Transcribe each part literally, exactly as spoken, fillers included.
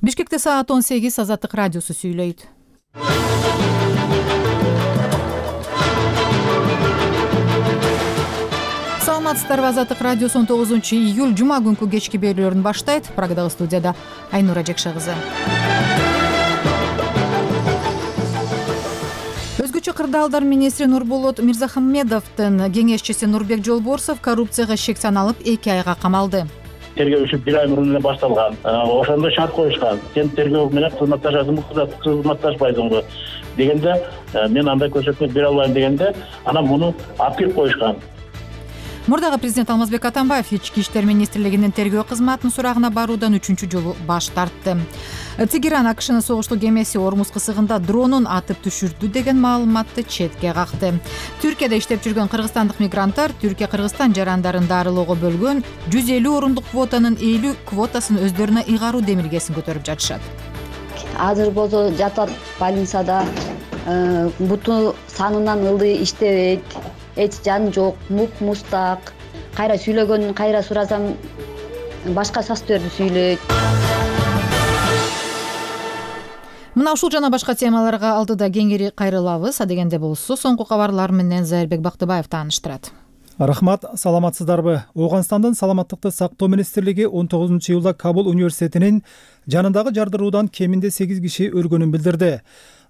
Бишкекте саат он сегиз Азаттык радиосу сүйлөйт. Саламатсыздарбы, Азаттык радиосу он тогузунчу июль жума күнкү кечки берүүлөрүн баштайт. Прагдагы студияда Айнура Жекше кызы. Өзгөчө кырдаалдар министри Нурболот Мирзахмедовдун кеңешчиси Нурбек Жолборсов коррупцияга шек саналып эки айга камалды. Тергөө иши бир ай мурун эле башталган. Ошондо шарт коюшкан. Сен тергөө менен кызматташасыңбы, кызматташпайсыңбы дегенде, мен андай көрсөтмө бере албайм дегенде, анан муну алып кирип коюшкан. Мурдагы президент Алмазбек Атамбаев Ички иштер министрлигинин тергөө кызматынын сурагына баруудан үчүнчү жолу баш тартты. Тегеран АКШнын согуштуу кемеси Ормуз кысыгында дронун атып түшүрдү деген маалыматты четке какты. Түркияда иштеп жүргөн кыргызстандык мигранттар Түркия-Кыргызстан жарандарын дарылоого бөлгөн жүз элүү орундук квотанын элүү квотасын өздөрүнө ыйгаруу демилгесин көтөрүп жатышат. Азыр болсо жатат больницада, буту санынан ылдый иштебейт, эч жан жок, мук мустак. Кайра сүйлөгөнүн кайра сурасам башка сөздөрдү сүйлөйт. Мына ушул жана башка темаларга алдыда кеңири кайрылабыз. Адегенде болсо соңку кабарлар менен Зайырбек Бактыбаев тааныштырат. Рахмат, саламатсыздарбы? Ооганстандын саламаттыкты сактоо министрлиги он тогузунчу июлда Кабул университетинин жанындагы жардыруудан кеминде сегиз киши өлгөнүн билдирди.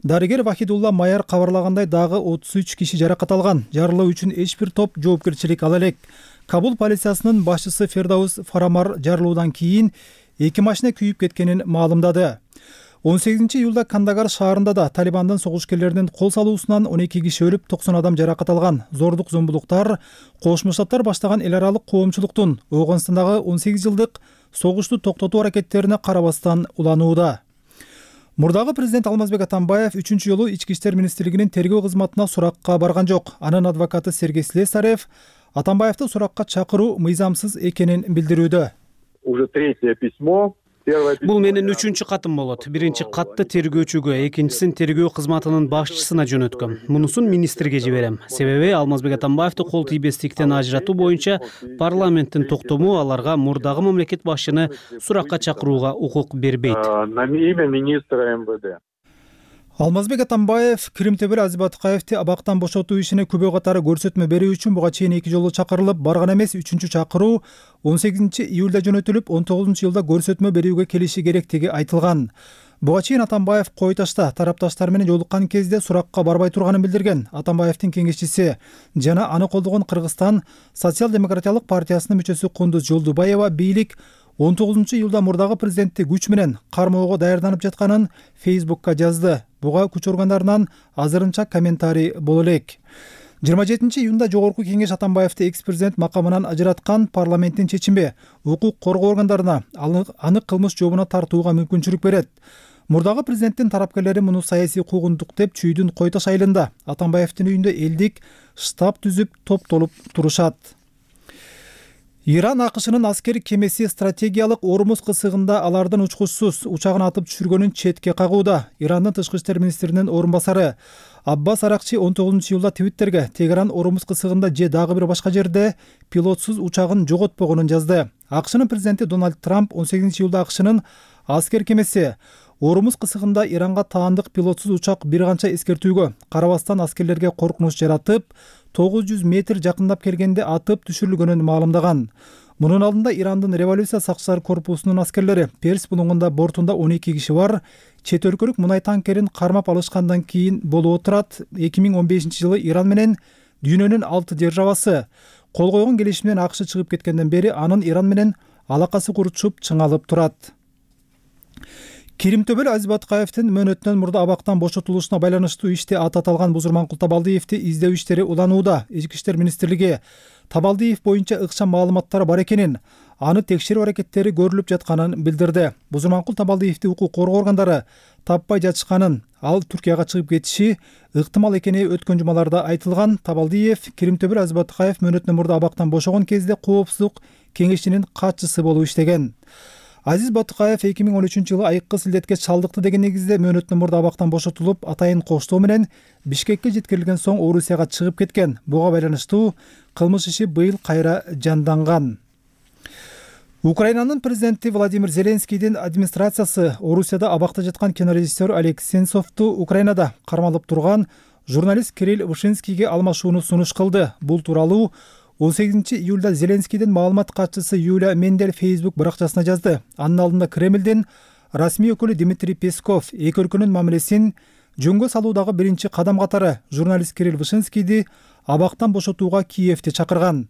Дарыгер Вахидулла Майар кабарлагандай дагы отуз үч киши жаракат алган. Жарылуу үчүн эч бир топ жоопкерчилик ала элек. Кабул полициясынын башчысы Фердаус Фарамар жарылуудан кийин эки машина күйүп кеткенин маалымдады. он сегизинчи июлда Кандагар шаарында да Талибандын согушкерлеринин кол салуусунан он эки киши өлүп, токсон адам жаракат алган. Зордук зомбулуктар Кошмо Штаттар баштаган эл аралык коомчулуктун Ооганстандагы он сегиз жылдык согушту токтотуу аракеттерине карабастан уланууда. Мурдагы президент Алмазбек Атамбаев үчүнчү жолу Ички иштер министрлигинин тергөө кызматына суракка барган жок. Анын адвокаты Сергей Слесарев Атамбаевди суракка чакыруу мыйзамсыз экенин билдирүүдө. Уже третье письмо. Бул менин үчүнчү катым болот. Биринчи катты тергөөчүгө, экинчисин тергөө кызматынын башчысына жөнөткөм. Мунусун министрге жиберем. Себеби Алмазбек Атамбаевди кол тийбестиктен ажыратуу боюнча парламенттин токтому аларга мурдагы мамлекет башчыны суракка чакырууга укук бербейт. На имя министра эм вэ дэ. Алмазбек Атамбаев Киримтөбөл Азибаткаевди абактан бошотуу ишине күбө катары көрсөтмө берүү үчүн буга чейин эки жолу чакырылып барган эмес. Үчүнчү чакыруу он сегизинчи июлда жөнөтүлүп, он тогузунчу жылда көрсөтмө берүүгө келиши керектиги айтылган. Буга чейин Атамбаев Кой Ташта тарапташтар менен жолуккан кезде суракка барбай турганын билдирген. Атамбаевдин кеңешчиси жана аны колдогон Кыргызстан социал-демократиялык партиясынын мүчөсү Кундуз Жолдубаева бийлик он тогузунчу июлда мурдагы президентти күч менен кармоого даярданып жатканын Фейсбукка жазды. Буга күч органдарынан азырынча комментарий боло элек. жыйырма жетинчи июнда Жогорку кеңеш Атамбаевди экс-президент макамынан ажыраткан. Парламенттин чечими укук коргоо органдарына аны кылмыш жообуна тартууга мүмкүнчүлүк берет. Мурдагы президенттин тарапкерлери муну саясий куугунтук деп Чүйдүн Кой Таш айылында Атамбаевдин үйүндө элдик штаб түзүп топтолуп турушат. Иран АКШнын аскер кемеси стратегиялык Ормуз кысыгында алардын учкучсуз учагын атып түшүргөнүн четке кагууда. Ирандын тышкы иштер министринин орун басары Аббас Аракчи он тогузунчу июлда Твиттерге Тегеран Ормуз кысыгында же дагы бир башка жерде пилотсуз учагын жоготпогонун жазды. АКШнын президенти Дональд Трамп он сегизинчи июлда АКШнын аскер кемеси Ормуз кысыгында Иранга таандык пилотсуз учак бир канча эскертүүгө карабастан аскерлерге коркунуч жаратып, тогуз жүз метр жакындап келгенде атып түшүрүлгөнүн маалымдаган. Мунун алдында Ирандын революция сакчылар корпусунун аскерлери Перс булуңунда бортунда он эки киши бар чет өлкөлүк мунай танкерин кармап алышкандан кийин болуп отурат. эки миң он бешинчи жылы Иран менен дүйнөнүн алты державасы кол койгон келишим менен АКШ чыгып кеткенден бери анын Иран менен алакасы куручуп чыңалып турат. Киримтөбөл Азибаткаевдин мөөнөтүнөн мурда абактан бошотулушуна байланыштуу иште ат аталган Бузурманкул Табалдиевди издөө иштери уланууда. Ички иштер министрлиги Табалдиев боюнча ыкчам маалыматтар бар экенин, аны текшерүү аракеттери көрүлүп жатканын билдирди. Бузурманкул Табалдиевди укук коргоо органдары таппай жатышканын, ал Түркияга чыгып кетиши ыктымал экени өткөн жумаларда айтылган. Табалдиев Киримтөбөл Азибаткаев мөөнөтүнөн мурда абактан бошогон кезде коопсуздук кеңешинин катчысы болуп иштеген. Азиз Батыкаев эки миң он үчүнчү жылы айыккы силдетке чалдыкты деген негизде мөөнөтүнөн мурда абактан бошотулуп, атайын коштоо менен Бишкекке жеткирилген соң Орусияга чыгып кеткен. Буга байланыштуу кылмыш иши быйыл кайра жанданган. Украинанын президенти Владимир Зеленскийдин администрациясы Орусияда абакта жаткан кинорежиссер Олег Сенцовду Украинада кармалып турган журналист Кирилл Вышинскийге алмашууну сунуш кылды. Бул тууралуу он сегизинчи июлда Зеленскийдин маалымат катчысы Юлия Мендель Facebook баракчасына жазды. Анын алдында Кремлдин расмий өкүлү Дмитрий Песков эки өлкөнүн мамилесин жөнгө салуудагы биринчи кадам катары журналист Кирилл Вышинскийди абактан бошотууга Киевди чакырган.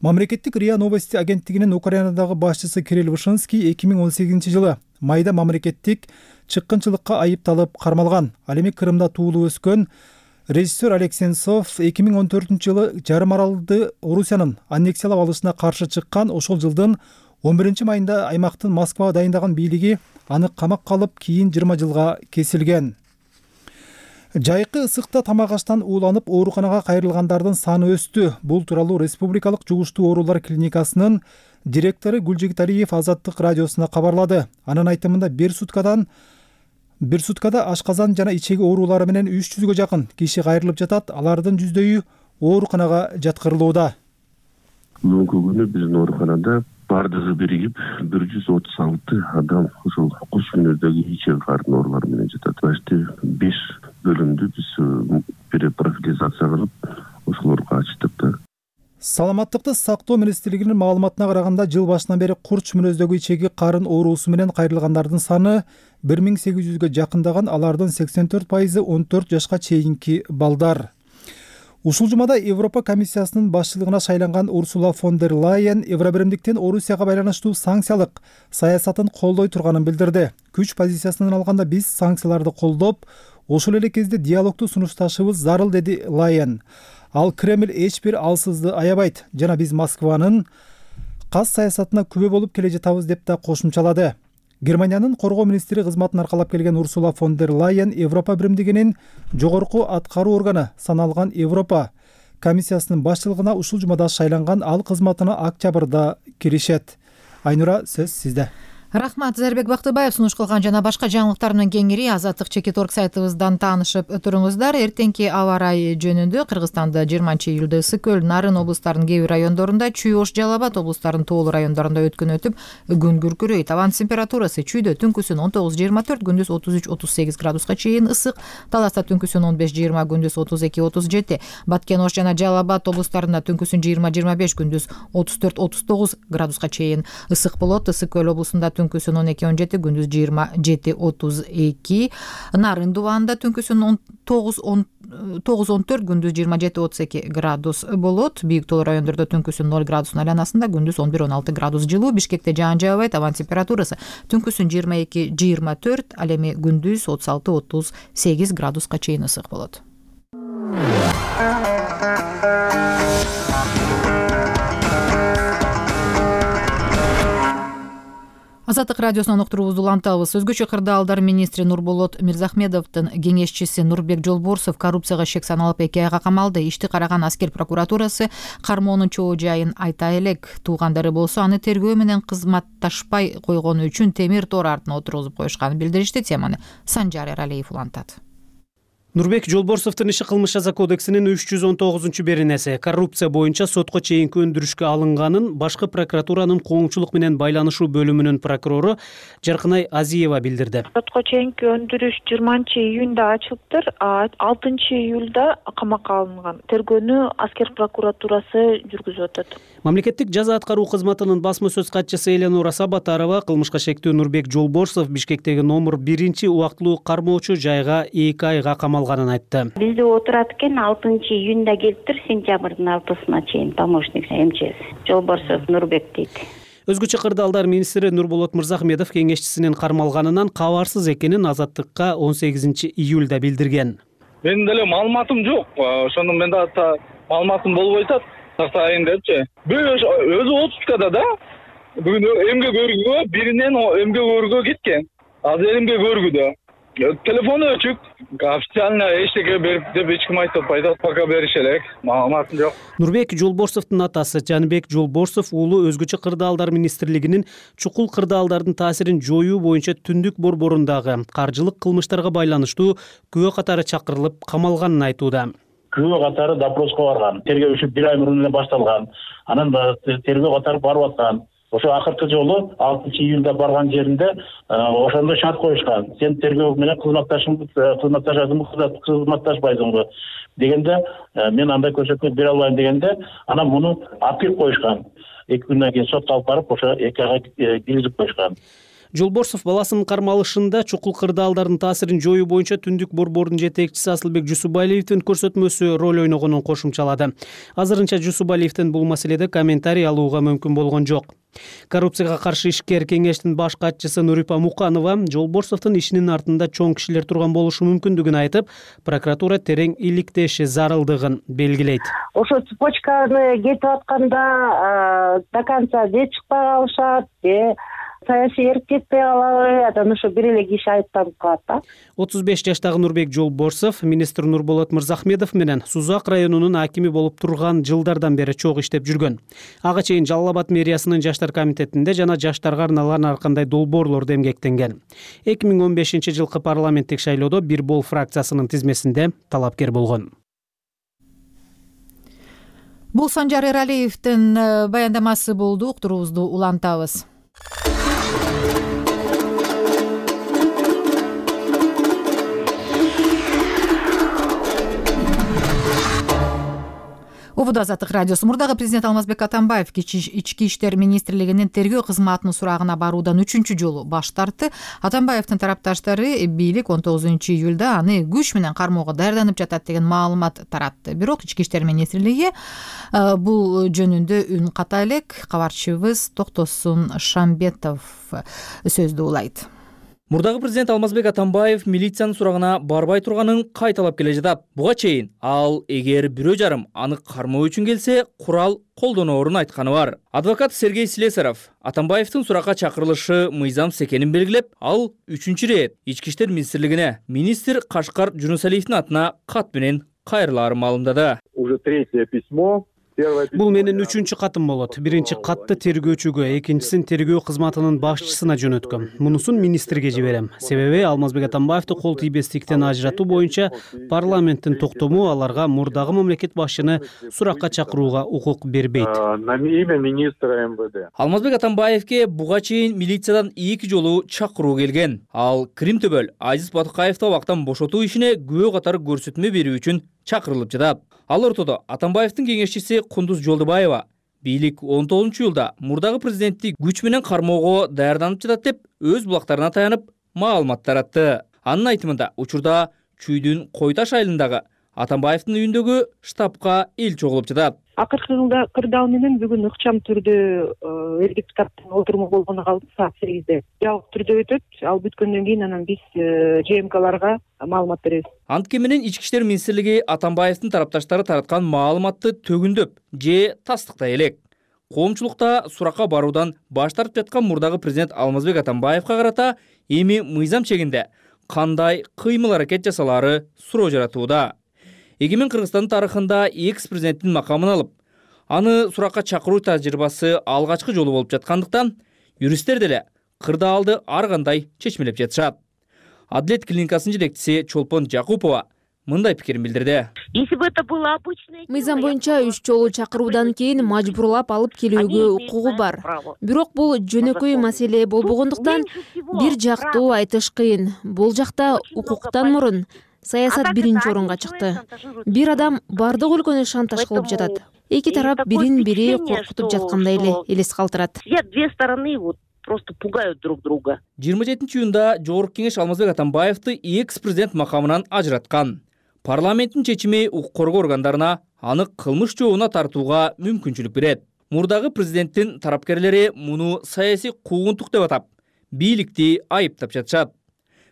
Мамлекеттик РИА Новости агенттигинин Украинадагы башчысы Кирилл Вышинский эки миң он сегизинчи жылы майда мамлекеттик чыккынчылыкка айыпталып кармалган. Ал эми Крымда туулуп өскөн режиссер Олег Сенцов эки миң он төртүнчү жылы жарым аралды Орусиянын аннексиялап алышына каршы чыккан. Ошол жылдын он биринчи майында аймактын Москвага дайындаган бийлиги аны камакка алып, кийин жыйырма жылга кесилген. Жайкы ысыкта тамак аштан ууланып ооруканага кайрылгандардын саны өстү. Бул тууралуу Республикалык жугуштуу оорулар клиникасынын директору Гүлжигиталиев Азаттык радиосуна кабарлады. Анын айтымында бир суткадан бир суткада ашказан жана ичеги оорулары менен үч жүзгө жакын киши кайрылып жатат. Алардын жүздөйү ооруканага жаткырылууда. Бүгүнкү күнү биздин ооруканада бардыгы биригип бир жүз отуз алты адам ошол куш мүнөздөгү ичеги карын оорулары менен жатат. Башты беш бөлүмдү биз перепрофилизация кылып ошолорго ачтык да. Саламаттыкты сактоо министрлигинин маалыматына караганда жыл башынан бери курч мүнөздөгү ичеги карын оорусу менен кайрылгандардын саны бир миң сегиз жүзгө жакындаган. Алардын сексен төрт пайызы он төрт жашка чейинки балдар. Ушул жумада Европа комиссиясынын башчылыгына шайланган Урсула фон дер Лайен Евробиримдиктин Орусияга байланыштуу санкциялык саясатын колдой турганын билдирди. Күч позициясынан алганда биз санкцияларды колдоп, ошол эле кезде диалогду сунушташыбыз зарыл, деди Лайен. Ал Кремль эч бир алсызды аябайт жана биз Москванын кас саясатына күбө болуп келе жатабыз деп да кошумчалады. Германиянын коргоо министри кызматын аркалап келген Урсула фон дер Лайен Европа биримдигинин жогорку аткаруу органы саналган Европа комиссиясынын башчылыгына ушул жумада шайланган. Ал кызматына октябрда киришет. Айнура, сөз сизде. Рахмат, Зарбек Бактыбаев сунуш кылган жана башка жаңылыктар менен кеңири Азаттык чекит орг сайтыбыздан таанышып туруңуздар. Эртеңки аба ырайы жөнүндө Кыргызстанда жыйырманчы июлда ысык көл, Нарын облустарынын кээ бир райондорунда, Чүй, Ош, Жалал Абад облустарынын тоолуу райондорунда өткөн өтүп, күн күркүрөйт. Абанын температурасы Чүйдө түнкүсүн он тогуз жыйырма төрт, күндүз отуз үч отуз сегиз градуска чейин ысык, Таласта түнкүсүн он беш жыйырма, күндүз отуз эки отуз жети, Баткен, Ош жана Жалал Абад облустарында түнкүсүн жыйырма жыйырма беш, күндүз отуз төрт отуз тогуз градуска чейин ысык болот. Ысык көл облусунда түнкүсүн он эки он жети, күндүз жыйырма жети отуз эки, Нарын дубанында түнкүсүн он тогуз он төрт, күндүз жыйырма жети отуз эки градус болот. Бийик тоолуу райондордо түнкүсүн ноль градустун айланасында, күндүз он бир он алты градус жылуу. Бишкекте жаан жаабайт, абанын температурасы түнкүсүн жыйырма эки жыйырма төрт, ал эми күндүз отуз алты отуз сегиз градуска чейин ысык болот. Азаттык радиосунан уктуруубузду улантабыз. Өзгөчө кырдаалдар министри Нурболот Мирзахмедовдун кеңешчиси Нурбек Жолборсов коррупцияга шек саналып эки айга камалды. Ишти караган аскер прокуратурасы кармоонун чоо жайын айта элек. Туугандары болсо аны тергөө менен кызматташпай койгону үчүн темир тор артына отургузуп коюшканын билдиришти. Теманы Санжар Эралиев улантат. Нурбек Жолборсовдун иши кылмыш жаза кодексинин үч жүз он тогузунчу беренеси коррупция боюнча сотко чейинки өндүрүшкө алынганын башкы прокуратуранын коомчулук менен байланышуу бөлүмүнүн прокурору Жаркынай Азиева билдирди. Сотко чейинки өндүрүш жыйырманчы июнда ачылыптыр, алтынчы июлда камакка алынган. Тергөөнү аскер прокуратурасы жүргүзүп атат. Мамлекеттик жаза аткаруу кызматынын басма сөз катчысы Эленора Сабатарова кылмышка шектүү Нурбек Жолборсов Бишкектеги номер биринчи убактылуу кармоочу жайга эки айга камалган айтты. Бизде отурат экен, алтынчы июнда келиптир, сентябрдын алтысына чейин помощник МЧС. Жолборсов Нурбек дейт. Өзгөчө кырдаалдар министри Нурболот Мырзахмедов кеңешчисинин кармалганынан кабарсыз экенин Азаттыкка он сегизинчи июлда билдирген. Менин деле маалыматым жок. Ошондо менде маалыматым болбой атат. Тактайын депчи. Бир өзү отпускада да. Бүгүн эмге көргүгө, биринен эмге көргүгө кеткен. Азыр эмге көргүдө. Телефону өчүк, официально эчтеке берип деп эч ким айтып атпайт, пока берише элек, маалыматым жок. Нурбек Жолборсовдун атасы Жанбек Жолборсов уулу өзгөчө кырдаалдар министрлигинин чукул кырдаалдардын таасирин жоюу боюнча түндүк борборундагы каржылык кылмыштарга байланыштуу күбө катары чакырылып камалганын айтууда. Күбө катары допроско барган, тергөө иши бир ай мурун эле башталган, анан тергөө катары барып аткан. ошо акыркы жолу алтынчы июлда барган жеринде ошондо шарт коюшкан: сен тергөө менен кызматташың кызматташасыңбы кызматташпайсыңбы дегенде мен андай көрсөтмө бере албайм дегенде анан муну апил коюшкан. эки күндөн кийин сотко алып барып ошо эки айга киргизип коюшкан. Жолборсов баласынын кармалышында чукул кырдаалдардын таасирин жоюу боюнча Түндүк борбордун жетекчиси Асылбек Жусубалиевдин көрсөтмөсү роль ойногонун кошумчалады. Азырынча Жусубалиевдин бул маселеде комментарий алууга мүмкүн болгон жок. Коррупцияга каршы ишкер кеңештин баш катчысы Нурипа Муканова Жолборсовдун ишинин артында чоң кишилер турган болушу мүмкүндүгүн айтып, прокуратура терең иликтеши зарылдыгын белгилейт. Ошо цепочканы кетип атканда до конца же чыкпай калышат, же саясий эрк кетпей калабы, анан ошо бир эле киши айыпталып калат да. отуз беш жаштагы Нурбек Жолборсов министр Нурболот Мырзахмедов менен Сузак районунун акими болуп турган жылдардан бери чогуу иштеп жүргөн. Ага чейин Жалал Абад мэриясынын жаштар комитетинде жана жаштарга арналган ар кандай долбоорлордо эмгектенген. эки миң он бешинчи жылкы парламенттик шайлоодо Бир Бол фракциясынын тизмесинде талапкер болгон. Бул Санжар Эралиевдин баяндамасы болду. Уктуруубузду улантабыз. Обуду Азаттык радиосу. Мурдагы президент Алмазбек Атамбаев ички иштер министрлигинин тергөө кызматынын сурагына баруудан үчүнчү жолу баш тартты. Атамбаевдин тарапташтары бийлик он тогузунчу июлда аны күч менен кармоого даярданып жатат деген маалымат таратты. Бирок ички иштер министрлиги бул жөнүндө үн ката элек. Кабарчыбыз Токтосун Шамбетов сөздү улайт. Мурдагы президент Алмазбек Атамбаев милициянын сурагына барбай турганын кайталап келе жатат. Буга чейин ал эгер бирөө жарым аны кармоо үчүн келсе, курал колдоноорун айтканы бар. Адвокат Сергей Слесарев Атамбаевдин суракка чакырылышы мыйзамсыз экенин белгилеп, ал үчүнчү ирет ички иштер министрлигине министр Кашкар Жунусалиевдин атына кат менен кайрылаарын маалымдады. Уже третье письмо. Бул менин үчүнчү катым болот. Биринчи катты тергөөчүгө, экинчисин тергөө кызматынын башчысына жөнөткөм. Мунусун министрге жиберем. Себеби Алмазбек Атамбаевди кол тийбестиктен ажыратуу боюнча парламенттин токтому аларга мурдагы мамлекет башчыны суракка чакырууга укук бербейт. На имя министра МВД. Алмазбек Атамбаевге буга чейин милициядан эки жолу чакыруу келген. Ал Крим төбөл Азиз Батыкаевди абактан бошотуу ишине күбө катары көрсөтмө берүү үчүн чакырылып жатат. Ал ортодо Атамбаевдин кеңешчиси Кундуз Жолдубаева бийлик он тогузунчу июлда мурдагы президентти күч менен кармоого даярданып жатат деп өз булактарына таянып маалымат таратты. Анын айтымында учурда Чүйдүн Койташ айылындагы Атамбаевдин үйүндөгү штабка эл чогулуп жатат. Акыркы кырдаал менен бүгүн ыкчам түрдө эл депутаттын отуруму болгону калды саат сегизде. Жабык түрдө өтөт. Ал бүткөндөн кийин анан биз ЖМКларга маалымат беребиз. Антке менен ички иштер министрлиги Атамбаевдин тарапташтары тараткан маалыматты төгүндөп же тастыктай элек. Коомчулукта суракка баруудан баш тартып жаткан мурдагы президент Алмазбек Атамбаевга карата эми мыйзам чегинде кандай кыймыл аракет жасалары суроо жаратууда. Эгемен Кыргызстандын тарыхында экс-президенттин макамын алып, аны суракка чакыруу тажрыйбасы алгачкы жолу болуп жаткандыктан, юристтер деле кырдаалды ар кандай чечмелеп жатышат. Адилет клиникасынын жетекчиси Чолпон Жакупова мындай пикирин билдирди. Мыйзам боюнча үч жолу чакыруудан кийин мажбурлап алып келүүгө укугу бар. Бирок бул жөнөкөй маселе болбогондуктан бир жактуу айтыш кыйын. Бул жакта укуктан мурун саясат биринчи орунга чыкты. Бир адам бардык өлкөнү шантаж кылып жатат. Эки тарап бирин-бири коркутуп жаткандай эле элес калтырат. Две стороны вот просто пугают друг друга. жыйырма жетинчи июнда Жогорку кеңеш Алмазбек Атамбаевди экс-президент макамынан ажыраткан. Парламенттин чечими укук коргоо органдарына аны кылмыш жообуна тартууга мүмкүнчүлүк берет. Мурдагы президенттин тарапкерлери муну саясий куугунтук деп атап, бийликти айыптап жатышат.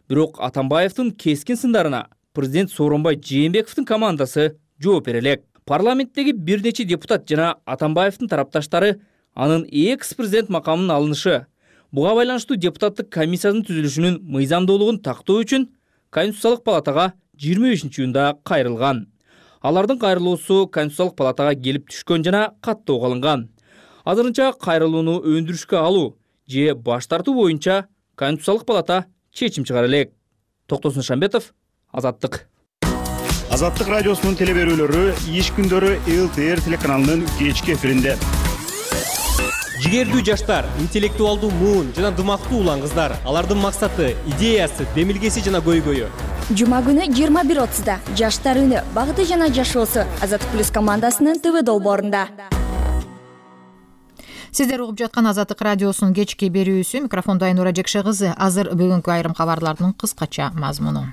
Бирок Атамбаевдин кескин сындарына президент Сооронбай Жээнбековдун командасы жооп бере элек. Парламенттеги бир нече депутат жана Атамбаевдин тарапташтары анын экс-президент макамынын алынышы, буга байланыштуу депутаттык комиссиянын түзүлүшүнүн мыйзамдуулугун тактоо үчүн Конституциялык палатага жыйырма бешинчи июнда кайрылган. Алардын кайрылуусу Конституциялык палатага келип түшкөн жана каттоого алынган. Азырынча кайрылууну өндүрүшкө алуу же баш тартуу боюнча Конституциялык палата чечим чыгара элек. Токтосун Шамбетов, Азаттык. Азаттык радиосунун телеберүүлөрү иш күндөрү эл тэ эр телеканалынын кечки эфиринде. Жигердүү жаштар, интеллектуалдуу муун жана дымактуу улан кыздар. Алардын максаты, идеясы, демилгеси жана көйгөйү. Жума күнү жыйырма бир отузда Жаштар үнү багыты жана жашоосу Азаттык плюс командасынын ТВ долбоорунда. Сиздер угуп жаткан Азаттык радиосунун кечки берүүсү. Микрофондо Айнура Жекше кызы. Азыр бүгүнкү айрым кабарлардын кыскача мазмуну.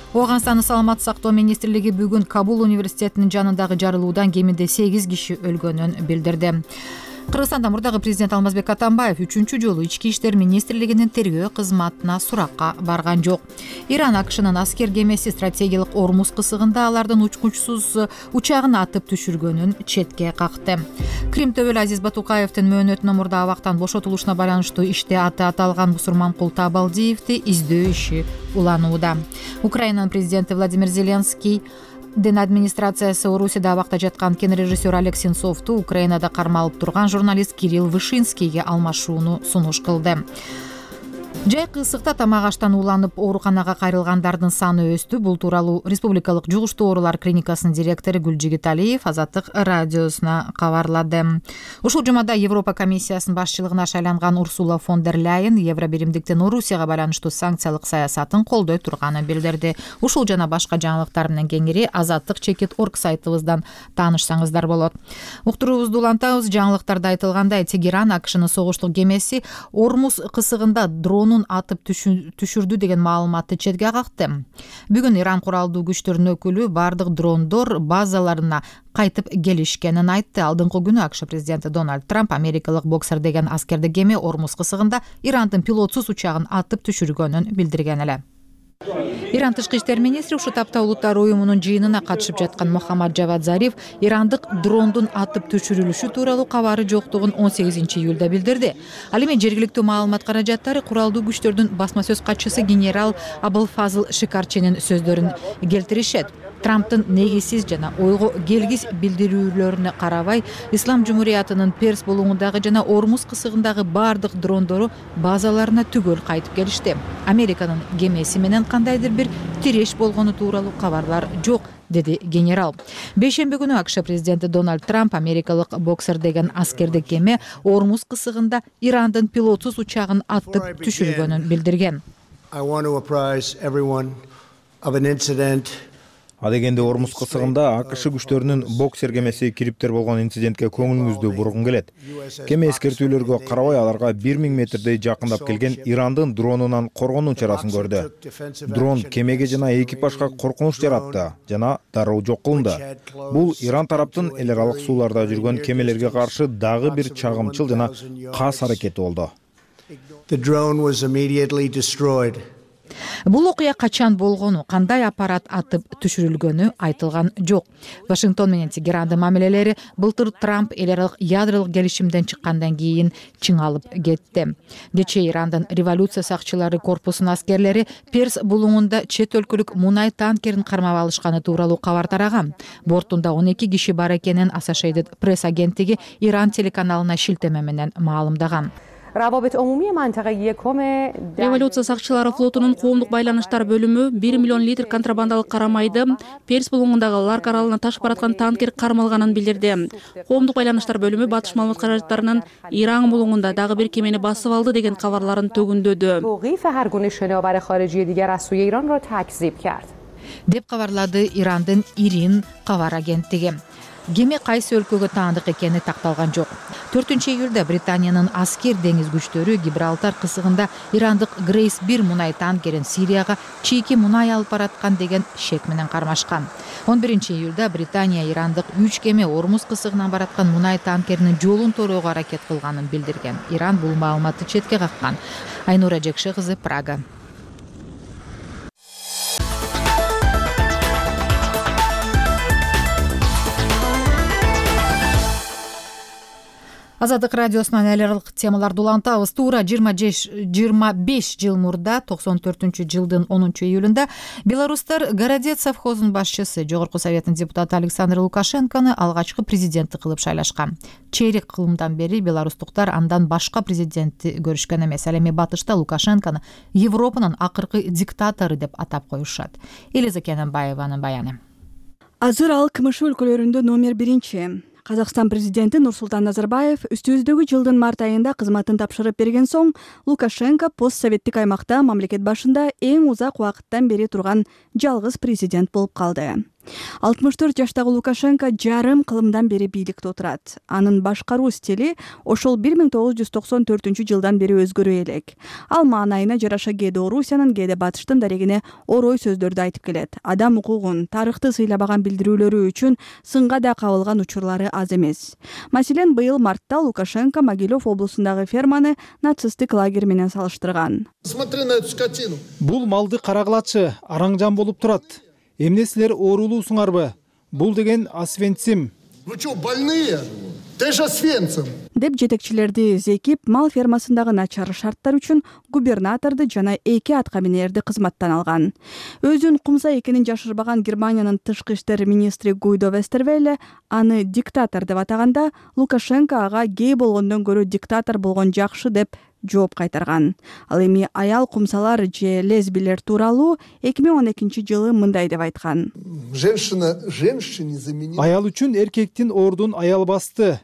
Ооганстандын саламаттык сактоо министрлиги бүгүн Кабул университетинин жанындагы жарылуудан кеминде сегиз киши өлгөнүн билдирди. Кыргызстанда мурдагы президент Алмазбек Атамбаев үчүнчү жолу ички иштер министрлигинин тергөө кызматына суракка барган жок. Иран АКШнын аскер кемеси стратегиялык Ормуз кысыгында алардын учкучсуз учагын атып түшүргөнүн четке какты. Крим төбөлү Азиз Батукаевдин мөөнөтүнөн мурда абактан бошотулушуна байланыштуу иште аты аталган Бусурманкул Табалдиевди издөө иши уланууда. Украинанын президенти Владимир Зеленский Дин администрациясы Орусияда абакта жаткан кинорежиссер Олег Сенцовду Украинада кармалып турган журналист Кирилл Вышинскийге алмашууну сунуш кылды. Жайкы ысыкта тамак аштан ууланып ооруканага кайрылгандардын саны өстү. Бул тууралуу Республикалык жугуштуу оорулар клиникасынын директору Гүлжигит Алиев Азаттык радиосуна кабарлады. Ушул жумада Европа комиссиясынын башчылыгына шайланган Урсула фон дер Ляйен Евро биримдиктин Орусияга байланыштуу санкциялык саясатын колдой турганын билдирди. Ушул жана башка жаңылыктар менен кеңири азаттык чекит орг сайтыбыздан таанышсаңыздар болот. Уктуруубузду улантабыз. Жаңылыктарда айтылгандай, Тегеран АКШнын согуштук кемеси Ормуз кысыгында дрон атып түшүрдү деген маалыматты четке какты. Бүгүн Иран куралдуу күчтөрүнүн өкүлү бардык дрондор базаларына кайтып келишкенин айтты. Алдыңкы күнү АКШ президенти Дональд Трамп америкалык боксер деген аскердик кеме Ормуз кысыгында Ирандын пилотсуз учагын атып түшүргөнүн билдирген эле. Иран тышкы иштер министри ушул тапта улуттар уюмунун жыйынына катышып жаткан Мохаммад Жавад Зариф ирандык дрондун атып түшүрүлүшү тууралуу кабары жоктугун он сегизинчи июлда билдирди. Ал эми жергиликтүү маалымат каражаттары куралдуу күчтөрдүн басма сөз катчысы генерал Абылфазыл Шикарчинин сөздөрүн келтиришет. Трамптын негизсиз жана ойго келгис билдирүүлөрүнө карабай, Ислам Жумуриятынын Перс булуңундагы жана Ормуз кысыгындагы бардык дрондору базаларына түгөл кайтып келишти. Американын кемеси менен кандайдыр бир тиреш болгону тууралуу кабарлар жок, деди генерал. Бейшемби күнү АКШ президенти Дональд Трамп америкалык боксер деген аскердик кеме Ормуз кысыгында Ирандын пилотсуз учагын атып түшүргөнүн билдирген. Адегенде Ормуз кысыгында АКШ күчтөрүнүн боксер кемеси кириптер болгон инцидентке көңүлүңүздү бургум келет. Кеме эскертүүлөргө карабай аларга бир миң метрдей жакындап келген Ирандын дронунан коргонуу чарасын көрдү. Дрон кемеге жана экипажга коркунуч жаратты жана дароо жок кылынды. Бул Иран тараптын эл аралык сууларда жүргөн кемелерге каршы дагы бир чагымчыл жана кас аракети болду. Бул окуя качан болгону, кандай аппарат атып түшүрүлгөнү айтылган жок. Вашингтон менен Тегерандын мамилелери былтыр Трамп эл аралык ядролук келишимден чыккандан кийин чыңалып кетти. Кечээ Ирандын революция сакчылары корпусунун аскерлери Перс булуңунда чет өлкөлүк мунай танкерин кармап алышканы тууралуу кабар тараган. Бортунда он эки киши бар экенин Associated Press агенттиги Иран телеканалына шилтеме менен маалымдаган. Революция сакчылары флотунун коомдук байланыштар бөлүмү бир миллион литр контрабандалык кара майды Перс булуңундагы Ларк аралына ташып бараткан танкер кармалганын билдирди. Коомдук байланыштар бөлүмү батыш маалымат каражаттарынын Иран булуңунда дагы бир кемени басып алды деген кабарларын төгүндөдү, деп кабарлады Ирандын Ирин кабар агенттиги. Кеме кайсы өлкөгө таандык экени такталган жок. төртүнчү июлда Британиянын аскер деңиз күчтөрү Гибралтар кысыгында ирандык Грейс бир мунай танкерин Сирияга чийки мунай алып бараткан деген шек менен кармашкан. он биринчи июлда Британия ирандык үч кеме Ормуз кысыгынан бараткан мунай танкеринин жолун торууга аракет кылганын билдирген. Иран бул маалыматты четке каккан. Айнура Жекше кызы, Прага. Азаттык радиосунан эл аралык темаларды улантабыз. Туура жыйырма беш жыл мурда токсон төртүнчү жылдын онунчу июлунда белорустар Городец совхозунун башчысы, Жогорку Советтин депутаты Александр Лукашенкону алгачкы президенти кылып шайлашкан. Чейрек кылымдан бери белорустуктар андан башка президентти көрүшкөн эмес. Ал эми батышта Лукашенкону Европанын акыркы диктатору деп атап коюшат. Элиза Кененбаеванын баяны. Азыр ал КМШ өлкөлөрүндө номер биринчи. Казакстан президенти Нурсултан Назарбаев үстүбүздөгү жылдын март айында кызматын тапшырып берген соң Лукашенко постсоветтик аймакта мамлекет башында эң узак убакыттан бери турган жалгыз президент болуп калды. алтымыш төрт жаштагы Лукашенко жарым кылымдан бери бийликте отурат. Анын башкаруу стили ошол бир миң тогуз жүз токсон төртүнчү жылдан бери өзгөрө элек. Ал маанайына жараша кээде Орусиянын, кээде Батыштын дарегине орой сөздөрдү айтып келет. Адам укугун, тарыхты сыйлабаган билдирүүлөрү үчүн сынга да кабылган учурлары аз эмес. Маселен, быйыл мартта Лукашенко Могилев облусундагы ферманы нацисттик лагерь менен салыштырган. Смотри на эту скотину. Бул малды карагылачы, араңжан болуп турат. Эмне силер оорулуусуңарбы? Бул деген Освенцим. Вы что, больные? Ты же Освенцим. Деп жетекчилерди зекип, мал фермасындагы начар шарттар үчүн губернаторду жана эки аткаминерди кызматтан алган. Өзүн кумса экенин жашырбаган Германиянын тышкы иштер министри Гуйдо Вестервелле аны диктатор деп атаганда, Лукашенко ага гей болгондон көрө диктатор болгон жакшы деп жооп кайтарган. Ал эми аял кумсалар же лесбилер тууралуу эки миң он экинчи жылы мындай деп айткан. Женщина женщине заменила. Аял үчүн эркектин ордун аял басты.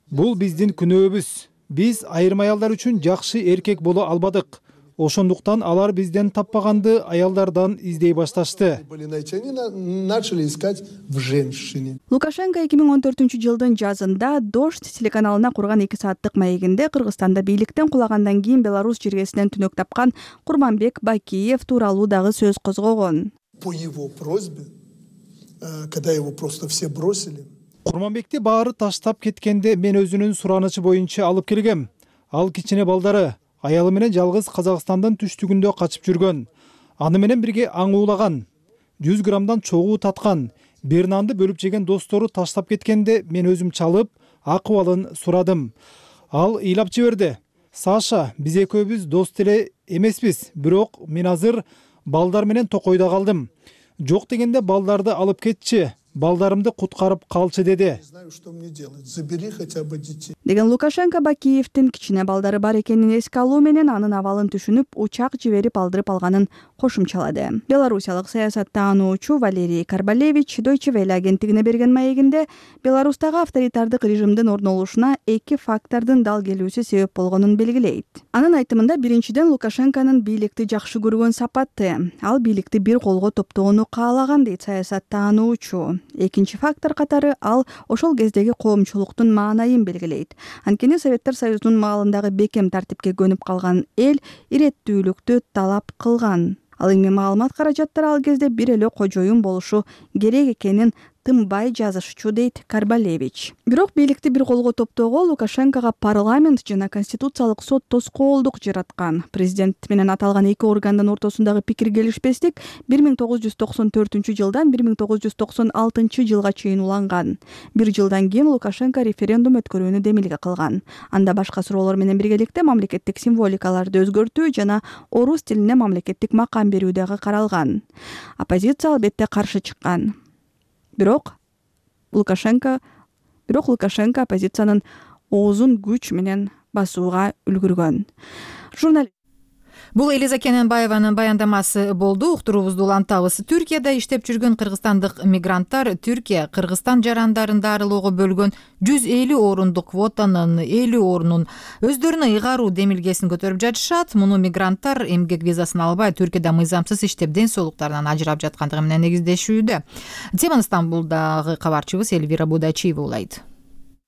Бул биздин күнөөбүз. Биз айрым аялдар үчүн жакшы эркек боло албадык. Ошондуктан алар бизден таппаганды аялдардан издей башташты. Начали искать в женщине. Лукашенко эки миң он төртүнчү жылдын жазында Дождь телеканалына курган эки сааттык маегинде Кыргызстанда бийликтен кулагандан кийин Беларусь жергесинен түнөк тапкан Курманбек Бакиев тууралуу дагы сөз козгогон. По его просьбе, когда его просто все бросили. Курманбекти баары таштап кеткенде мен өзүнүн суранычы боюнча алып келгем. Ал кичине балдары, аялы менен жалгыз Казакстандын түштүгүндө качып жүргөн. Аны менен бирге аң уулаган. жүз граммдан чогуу таткан. Бир нанды бөлүп жеген достору таштап кеткенде мен өзүм чалып, акыбалын сурадым. Ал ыйлап жиберди. Саша, биз экөөбүз дос деле эмеспиз, бирок мен азыр балдар менен токойдо калдым. Жок дегенде балдарды алып кетчи. Балдарымды куткарып калчы деди. Деген Лукашенко Бакиевдин кичине балдары бар экенин эске алуу менен анын абалын түшүнүп, учак жиберип алдырып алганын кошумчалады. Белорусиялык саясаттаануучу Валерий Карбалевич Deutsche Welle агенттигине берген маегинде Беларустагы авторитардык режимдин орун алушуна эки фактордун дал келүүсү себеп болгонун белгилейт. Анын айтымында биринчиден Лукашенконун бийликти жакшы көргөн сапаты. Ал бийликти бир колго топтоону каалаган дейт саясаттаануучу. Экинчи фактор катары ал ошол кездеги коомчулуктун маанайын белгилейт. Анткени Советтер Союзунун маалындагы бекем тартипке көнүп калган эл иреттүүлүктү талап кылган. Ал эми маалымат каражаттары ал кезде бир эле кожоюн болушу керек экенин тынбай жазышчу дейт Карбалевич. Бирок бийликти бир колго топтоого Лукашенкого парламент жана конституциялык сот тоскоолдук жараткан. Президент менен аталган эки органдын ортосундагы пикир келишпестик бир миң тогуз жүз токсон төртүнчү жылдан бир миң тогуз жүз токсон алтынчы жылга чейин уланган. Бир жылдан кийин Лукашенко референдум өткөрүүнү демилге кылган. Анда башка суроолор менен биргеликте мамлекеттик символикаларды өзгөртүү жана орус тилине мамлекеттик макам берүү дагы каралган. Оппозиция албетте каршы чыккан. Бирок Лукашенко бирок Лукашенко оппозициянын оозун күч менен басууга үлгүргөн. Журналист Бул Элиза Кененбаеванын баяндамасы болду. Уктуруубузду улантабыз. Түркияда иштеп жүргөн кыргызстандык мигранттар Түркия Кыргызстан жарандарында арылууга бөлгөн жүз элүү орундук квотанын элүү орунун өздөрүнө ыйгаруу демилгесин көтөрүп жатышат. Муну мигранттар эмгек визасын албай Түркияда мыйзамсыз иштеп ден соолуктарынан ажырап жаткандыгы менен негиздешүүдө. Теманы Стамбулдагы кабарчыбыз Эльвира Будачиева улайт.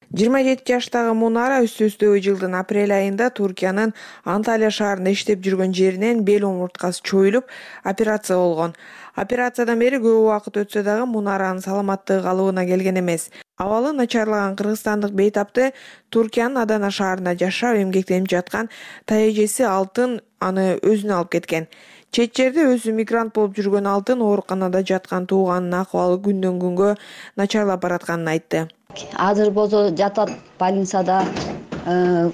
жыйырма жети жаштагы Мунара үстүбүздөгү жылдын апрель айында Туркиянын Анталия шаарында иштеп жүргөн жеринен бел омурткасы чоюлуп операция болгон. Операциядан бери көп убакыт өтсө дагы Мунаранын саламаттыгы калыбына келген эмес. Абалы начарлаган кыргызстандык бейтапты Туркиянын Адана шаарында жашап эмгектенип жаткан тайэжеси Алтын аны өзүнө алып кеткен. Чет жерде өзү мигрант болуп жүргөн Алтын ооруканада жаткан тууганынын акыбалы күндөн күнгө начарлап баратканын айтты. Азыр болсо жатат больницада,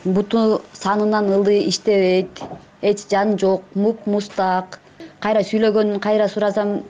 буту санынан ылдый иштебейт, эч жан жок, муп мустак. Кайра сүйлөгөнүн кайра сурасам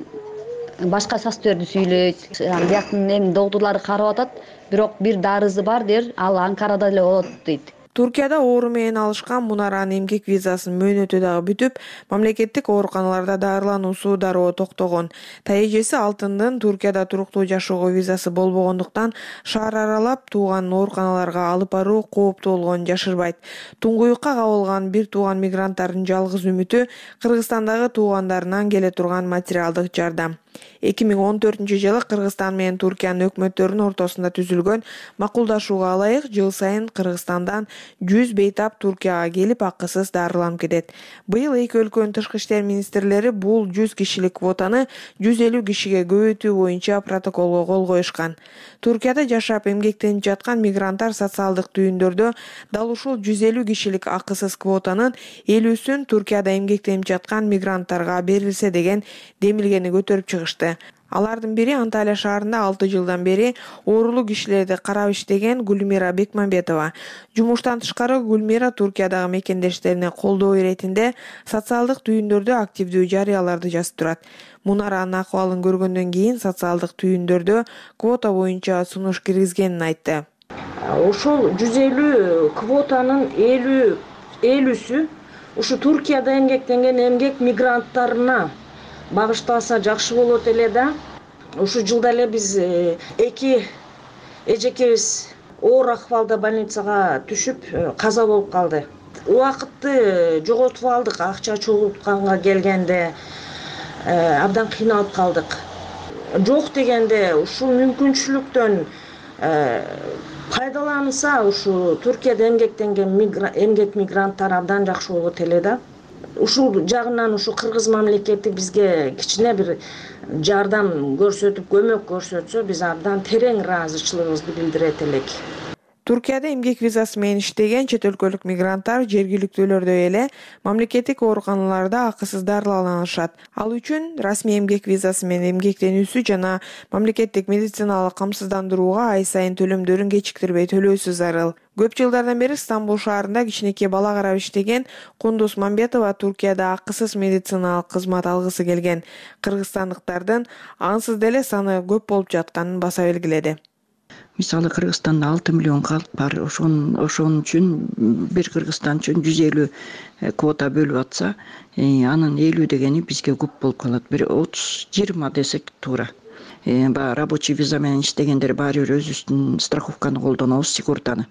башка шахтерди сүйлөйт. Бияктын эми доктурлары карап атат, бирок бир дарызы бар дер, ал Анкарада эле болот дейт. Туркияда оору менен алышкан Мунаранын эмгек визасынын мөөнөтү дагы бүтүп, мамлекеттик ооруканаларда дарылануусу дароо токтогон. Тайэжеси Алтындын Туркияда туруктуу жашоого визасы болбогондуктан шаар аралап тууганын ооруканаларга алып баруу кооптуу болгонун жашырбайт. Туңгуюкка кабылган бир тууган мигранттардын жалгыз үмүтү Кыргызстандагы туугандарынан келе турган материалдык жардам. эки миң он төртүнчү жылы Кыргызстан менен Туркиянын өкмөттөрүнүн ортосунда түзүлгөн макулдашууга ылайык жыл сайын Кыргызстандан жүз бейтап Туркияга келип акысыз дарыланып кетет. Быйыл эки өлкөнүн тышкы иштер министрлери бул жүз кишилик квотаны жүз элүү кишиге көбөйтүү боюнча протоколго кол коюшкан. Туркияда жашап эмгектенип жаткан мигранттар социалдык түйүндөрдө дал ушул жүз элүү кишилик акысыз квотанын элүүсүн Туркияда эмгектенип жаткан мигранттарга берилсе деген демилгени көтөрүп чыгышты. Алардын бири Анталия шаарында алты жылдан бери оорулуу кишилерди карап иштеген Гүлмира Бекмамбетова. Жумуштан тышкары Гүлмира Туркиядагы мекендештерине колдоо иретинде социалдык түйүндөрдө активдүү жарыяларды жазып турат. Мунаранын акыбалын көргөндөн кийин социалдык түйүндөрдө квота боюнча сунуш киргизгенин айтты. Ошол жүз элүү квотанын элүү элүүсү ушу Туркияда эмгектенген эмгек мигранттарына багышталса жакшы болот эле да. Ушу жылда эле биз эки эжекебиз оор акыбалда больницага түшүп каза болуп калды. Убакытты жоготуп алдык, акча чогултканга келгенде абдан кыйналып калдык. Жок дегенде ушул мүмкүнчүлүктөн пайдаланса ушу Туркияда эмгектенген эмгек мигранттар абдан жакшы болот эле да. Ушул жагынан ушу кыргыз мамлекети бизге кичине бир жардам көрсөтүп, көмөк көрсөтсө, биз абдан терең ыраазычылыгыбызды билдирет элек. Туркияда эмгек визасы менен иштеген чет өлкөлүк мигранттар жергиликтүүлөрдөй эле мамлекеттик ооруканаларда акысыз дарылана алышат. Ал үчүн расмий эмгек визасы менен эмгектенүүсү жана мамлекеттик медициналык камсыздандырууга ай сайын төлөмдөрүн кечиктирбей төлөөсү зарыл. Көп жылдардан бери Стамбул шаарында кичинекей бала карап иштеген Кундуз Мамбетова Туркияда акысыз медициналык кызмат алгысы келген кыргызстандыктардын ансыз деле саны көп болуп жатканын баса белгиледи. Мисалы Кыргызстанда алты миллион калк бар. Ошон ошон үчүн бир Кыргызстан үчүн жүз элүү квота бөлүп атса, анын элүү дегени бизге көп болуп калат. Бир отуз жыйырма десек туура. Баягы рабочий виза менен иштегендер баары бир өзүбүздүн страховканы колдонобуз, сигуртаны.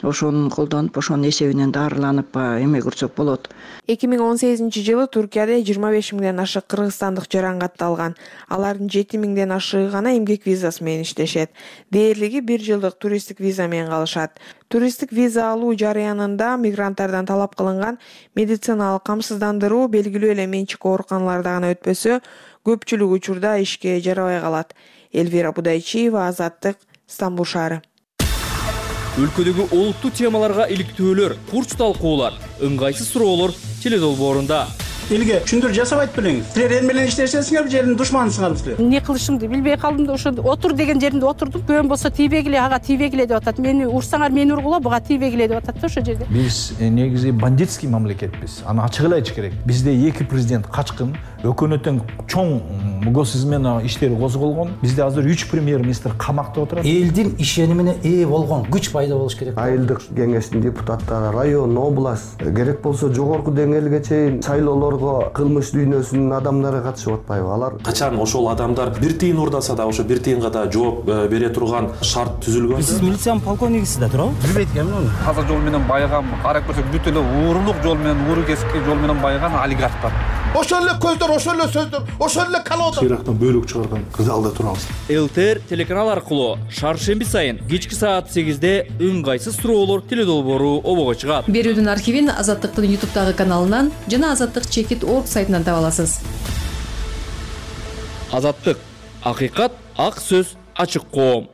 Ошону колдонуп, ошонун эсебинен дарыланып эме көрсөк болот. эки миң он сегизинчи жылы Туркияда жыйырма беш миңден ашык кыргызстандык жаран катталган. Алардын жети миңден ашыгы гана эмгек визасы менен иштешет. Дээрлиги бир жылдык туристтик виза менен калышат. Туристтик виза алуу жарыянында мигранттардан талап кылынган медициналык камсыздандыруу белгилүү эле менчик ооруканаларда гана өтпөсө, көпчүлүк учурда ишке жарабай калат. Эльвира Будайчиева, Азаттык, Стамбул шаары. Өлкөдөгү олуттуу темаларга иликтөөлөр, курч талкуулар, ыңгайсыз суроолор теледолбоорунда. Элге түшүндүр жасабайт белеңиз. Силер эл менен иштешесиңер, жердин душманысыңар силер. Эмне кылышымды билбей калдым да ошо отур деген жеринде отурдум. Көөм болсо тийбегиле, ага тийбегиле деп атат. Мени урсаңар мени ургула, буга тийбегиле деп атат да ошо жерде. Биз негизи бандитский мамлекетпиз. Аны ачык эле айтыш керек. Бизде эки президент качкын, өкмөттүн чоң госизмен иштери козголгон. Бизде азыр үч премьер-министр камакта отурат. Элдин ишенимине ээ болгон күч пайда болуш керек. Айылдык кеңештин депутаттары, район, область, керек болсо жогорку деңгээлге чейин шайлоолорго кылмыш дүйнөсүнүн адамдары катышып атпайбы? Алар качан ошол адамдар бир тыйын урдаса да ошо бир тыйынга да жооп бере турган шарт түзүлгөн. Сиз милициянын полковнигисиз да туурабы? Билбейт экенмин. Таза жол менен байыган, карап көрсөк бүт эле уурулук жол менен, ууру кесипки жол менен байыган олигархтар. Ошол эле көздөр, ошол эле сөздөр, ошол эле колодо. Ирактан бөлүк чыгарган залда турабыз. ЛТР телеканал аркылуу шаршемби сайын кечки саат сегизде ыңгайсыз суроолор теледолбоору обого чыгат. Берүүдүн архивин Азаттыктын ютубтагы каналынан жана Азаттык чекит точка орг сайтынан таба аласыз. Азаттык, акыйкат, ак сөз, ачык коом.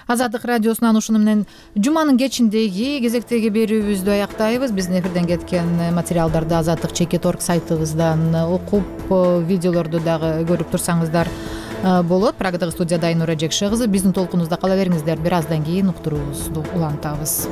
Азаттык радиосунан ушуну менен жуманын кечиндеги кезектеги берүүбүздү аяктайбыз. Биздин эфирден кеткен материалдарды азаттык чекит орг сайтыбыздан окуп, видеолорду дагы көрүп турсаңыздар болот. Прагадагы студияда Айнура Жекше кызы. Биздин толкунубузда кала бериңиздер. Бир аздан кийин уктуруубузду улантабыз.